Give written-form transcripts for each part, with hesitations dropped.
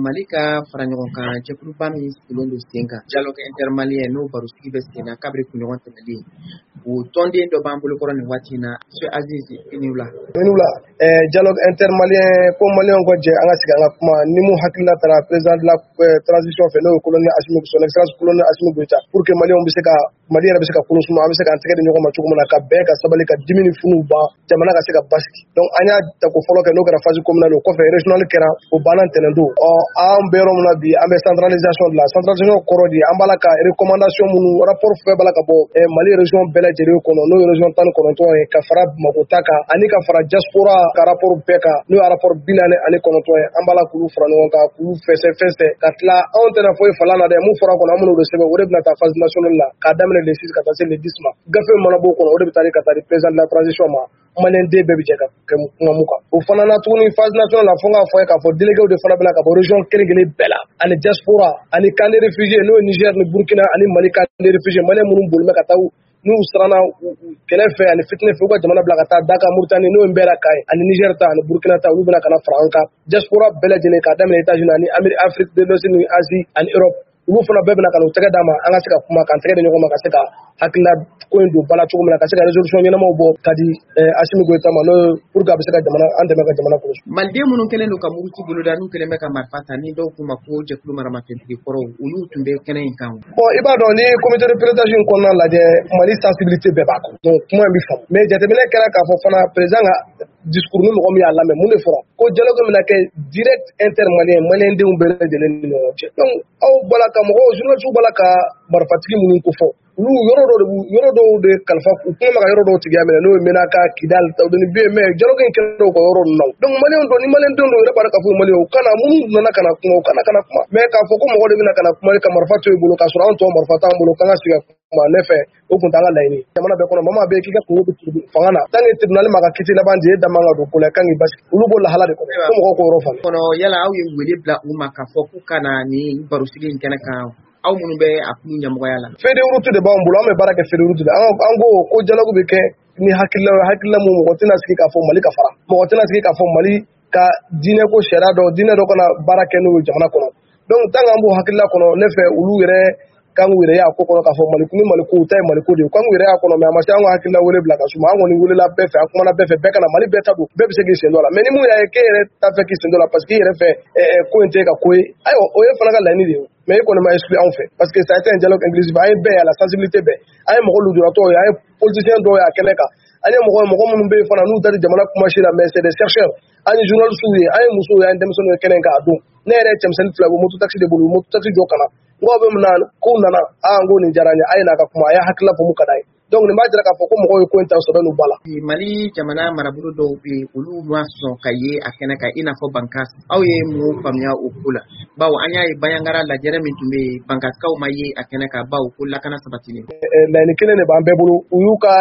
Mali ka fara ɲɔgɔn kan jɛkuluba min sigilen don sen kan, Dialogue intermalien, n'o barosigi bɛ sen na kabiri kunɲɔgɔn tɛmɛlen, o tɔnden dɔ b'an bolokɔrɔ nin waati in na. Monsieur Aziz, i ni wula. I ni wula. Dialogue intermalien ko maliyɛnw ka jɛ an ka sigi an ka kuma ni mun hakilina taara président de la transition fɛ, n'o ye colonel Assimi, son excellence colonel Assimi Goïta, pour que maliyɛnw bɛ se ka, Mali yɛrɛ bɛ se ka kolo suma, an bɛ se k'an tɛgɛ di ɲɔgɔn ma cogo min na ka bɛn, ka sabali, ka dimi ni funu ban, jamana ka se ka basigi. Donc an y'a tako fɔlɔ kɛ, n'o kɛra phase communale. O kɔfɛ régional kɛra, o banna ntɛnɛn don. Ɔ an bɛ yɔrɔ min na bi, an bɛ centralisation de la. Centralisation kɔrɔ di, an b'a la ka recommandation minnu, rapport fɛn b'a la ka bɔ Mali région bɛɛ lajɛlen kɔnɔ, n'o ye région 19 ye, ka fara Bamakɔ ta kan ani ka fara diaspora ka rapport bɛɛ kan, n'o ye rapport 49 ye. An b'a la k'olu fara ɲɔgɔn kan, k'olu fɛsɛ fɛsɛ ka tila. Anw tɛna foyi fala la dɛ. Mun fɔra kɔnɔ, an bɛn'o de sɛbɛn. O de bɛna taa phase nationale la k'a daminɛ le 6 ka taa se le 10 ma. Gafe mana b'o kɔnɔ, o de bɛ taa di ka taa di président de la transition ma. Maliyɛn den bɛɛ bɛ jɛ ka kɛ kuma mun kan, o fana na tuguni phase nationale la, fo n k'a fɔ ye k'a fɔ délégués de fana bɛna ka bɔ région kelen kelen bɛɛ la, ani diaspora ani camp de réfugiés, n'o ye Niger ni Burkina ani Mali camp de réfugiés. Maliyɛn minnu bolilen bɛ ka taa, n'u siranna kɛlɛ fɛ ani fitinɛ fɛ, u ka jamana bila ka taa Daka, Mauritanie, n'o ye Nbɛra ka ye, ani Niger ta ani Burkina ta, olu bɛna ka na fara an kan. Diaspora bɛɛ lajɛlen, k'a daminɛ États-Unis ani Amérique, Afrique de l'Ouest ni Asie ani Europe, olu fana bɛɛ bɛna ka n'u tɛgɛ d'a ma, an ka se ka kuma, k'an tɛgɛ di ɲɔgɔn ma, ka se ka hakilina ko in don ba la cogo min na, ka se ka résolution ɲɛnamaw bɔ ka di Assimi Goïta ma, n'o ye pour que a bɛ se ka jamana an dɛmɛ ka jamana kɔlɔsi. Maliden minnu kɛlen don ka muruti boloda, n'u kɛlen bɛ ka marifa ta, ni dɔw k'u ma ko jɛkulu maramafɛntigi kɔrɔw, olu tun bɛ kɛnɛ in kan. Bon, i b'a dɔn, ni comité de pilotage in kɔnɔna lajɛ, Mali sensibilité bɛɛ b'a kɔnɔ, donc kuma in bɛ faamu. Mais jateminɛ kɛra k'a fɔ fana, président ka discours ni mɔgɔ min y'a lamɛn, mun de fɔra? Ko dialogue bɛna kɛ direct intermalien, maliyɛndenw bɛɛ lajɛlen ni ɲɔgɔn cɛ. Donc aw bɔra ka mɔgɔw, journalistes bɔra ka marifatigi minnu ko fɔ, olu yɔrɔ dɔw de b'u yɔrɔ dɔw de kalifa u kuma ma ka yɔrɔ dɔw tigiya minɛ, n'o ye Menaka, Kidal, ni bɛ yen. Mais dialogue in kɛra u ka yɔrɔ ninnu na. Donc maliyɛnw don, ni maliyɛndenw don yɛrɛ b'a dɔn k'a fɔ maliyɛnw u kana minnu nana ka na kuma, u kana ka na kuma. Mais k'a fɔ ko mɔgɔ de bɛna ka na kuma ka marifa to i bolo, k'a sɔrɔ anw tɔ marifa t'an bolo k'an ka sigi ka kuma, ne fɛ o kun t'an ka laɲini. Jamana bɛɛ kɔnɔ, mama bɛ k'i ka kungo bɛ fanga na, tant que tribunal ma ka kiti laban di, e da man ka don ko la, kan k'i basigi. Olu b'o lahala de kɔnɔ fo mɔgɔw k'o yɔrɔ faamu. Kɔnɔ yala aw ye wele bila u ma k'a fɔ k'u ka na nin barosigi in kɛnɛ kan, aw minnu bɛ a kulu ɲɛmɔgɔya la? Feuille de route de b'an bolo, an bɛ baara kɛ feuille de route de. An ko ko dialogue bɛ kɛ ni hakilina ye, hakilina mun mɔgɔ tɛna sigi k'a fɔ Mali ka fara, mɔgɔ tɛna sigi k'a fɔ Mali ka diinɛ ko sariya dɔ, diinɛ dɔ kana baara kɛ n'o ye jamana kɔnɔ. Donc tant que an b'o hakilina kɔnɔ, ne fɛ olu yɛrɛ kan k'u yɛrɛ y'a ko kɔnɔ k'a fɔ Mali ni Mali ko ta ye Mali ko de ye, kan k'u yɛrɛ y'a kɔnɔ. Mais a ma se an ka hakilina wele bila ka suma. An kɔni welela bɛɛ fɛ, an kumana bɛɛ fɛ, bɛɛ kana Mali bɛɛ ta don, bɛɛ bɛ se k'i sen don a la. Mais ni mun y'a ye k'e yɛrɛ t'a fɛ k'i sen don a la parce que i yɛrɛ fɛ ko in tɛ ka ko ye, ayiwa, o ye fana ka laɲini de ye. Mais e kɔni ma exclu anw fɛ, parce que ça a été un dialogue inclusif. An ye bɛɛ ye, a la sensibilité bɛɛ, an ye mɔgɔ lujuratɔw ye, an ye politicien dɔw ye a kɛnɛ kan, an ye mɔgɔ mɔgɔ minnu bɛ yen fana n'u da tɛ jamana kuma si la, mais c'est des chercheurs, an ye journalistes ye, an ye musow ye, an ye denmisɛnninw ye kɛnɛ kan a don. Ne yɛrɛ ye cɛmisɛnnin fila bɔ moto taxi de bolo, moto taxi jɔ ka na, n ko aw bɛ mun na? Kow nana, aa, n ko nin diyara n ye, a ye n'a ka kuma, a y'a hakilila fɔ mun ka d'a ye. Donc nin b'a jira k'a fɔ ko mɔgɔw ye ko in ta sɛbɛ n'u ba la. Mali jamana marabolo dɔw bɛ yen, olu ma sɔn ka ye a kɛnɛ kan, i n'a fɔ Bankas. Aw ye mun faamuya o ko la? Bawo an y'a ye Bandiagara lajɛrɛ min tun bɛ yen, Bankasikaw ma ye a kɛnɛ kan, bawo ko lakana sabatilen. Laɲini kelen de b'an bɛɛ bolo. U y'u ka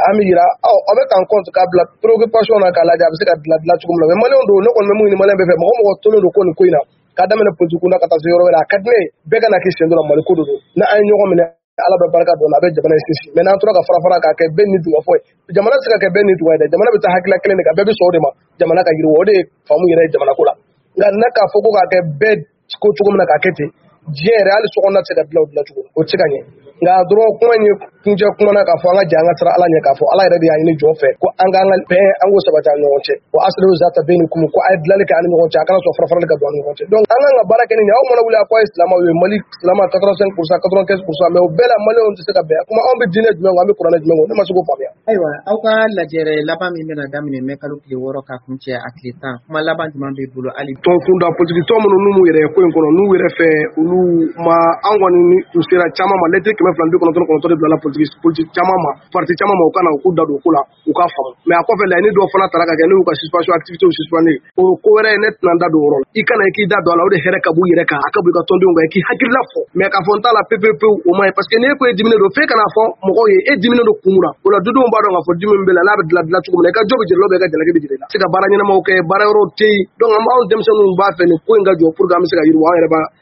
an bɛ yira aw aw bɛ k'an compte k'a bila préoccupation na, k'a lajɛ a bɛ se ka dilan dilan cogo min na. Mais maliyɛnw don, ne kɔni bɛ mun ɲini maliyɛn bɛɛ fɛ, mɔgɔ mɔgɔ tolen don ko nin ko in na, k'a daminɛ politique kunda ka taa se yɔrɔ wɛrɛ, a ka di ne ye bɛɛ ka na k'i sen don la. Mali ko de don. Ni an ye ɲɔgɔn minɛ, Ala bɛ barika don a bɛ jamana in sinsin. Mais n'an tora ka fara fara k'a kɛ bɛɛ ni duga fɔ ye, jamana tɛ se ka kɛ bɛɛ ni duga ye dɛ. Jamana bɛ taa hakilila kelen de kan, bɛɛ bɛ sɔn o de ma, jamana ka yiriwa, o de ye faamu yɛrɛ ye jamana ko la. Nka ne k'a fɔ ko k'a kɛ bɛɛ ko cogo min na k'a kɛ ten, diɲɛ yɛrɛ hali sokɔnɔna tɛ se ka dilan o dilan cogo, o tɛ se ka ɲɛ. Nka dɔrɔn kuma in ye kuncɛ kuma na k'a fɔ an ka jɛ an ka siran Ala ɲɛ, k'a fɔ Ala yɛrɛ de y'a ɲini jɔn fɛ ko an k'an ka bɛn, an k'o sabati an ni ɲɔgɔn cɛ. Wa aslihu zata baynikum, ko a ye dilanli kɛ an ni ɲɔgɔn cɛ, a kana sɔn fara farali ka don an ni ɲɔgɔn cɛ. Donc an kan ka baara kɛ ni nin ye. Aw mana wuli a ko a ye silamɛw ye, Mali silamɛ 85%, 95%, mais o bɛɛ la maliyɛnw tɛ se ka bɛn. Kuma anw bɛ diinɛ jumɛn kɔ, an bɛ kuranɛ jumɛn kɔ? Ne ma se k'o faamuya. Ayiwa, aw ka lajɛrɛ laban min bɛna daminɛ mɛ kalo tile 6 ka kun cɛ a tile 10, kuma laban jumɛn b'i bolo hali? Tɔn kunda politiki tɔn minnu n'u m'u yɛrɛ ye ko in kɔnɔ, n'u yɛrɛ fɛ olu ma, an kɔni u sera caman ma. Lɛtiri 299 de bilala politique caman ma, parti caman ma, u ka na u k'u da don ko la, u k'a faamu. Mais a kɔfɛ laɲini dɔw fana tara ka kɛ, n'u y'u ka suspension, activité suspendre, o ko wɛrɛ ye, ne tɛna n da don o yɔrɔ la. I kana i k'i da don a la, o de hɛrɛ ka b'u yɛrɛ kan, a ka bɔ i ka tɔndenw kan, i k'i hakilila fɔ. Mais k'a fɔ n t'a la pewu pewu, o ma ɲi, parce que n'e ko e diminen don, f'e kana fɔ mɔgɔw ye e diminen don kun mun na. O la dudenw b'a dɔn k'a fɔ dimi min bɛ la, n'a bɛ dilan dilan cogo min na, i ka jɔ bɛ jira la, i ka jalaki bɛ jira i la, se ka baara ɲɛnamaw kɛ, baara yɔrɔw tɛ yen. Donc an b'anw denmisɛnninw b'a fɛ nin ko in ka jɔ pour que an bɛ se ka yiriwa an yɛrɛ b'a.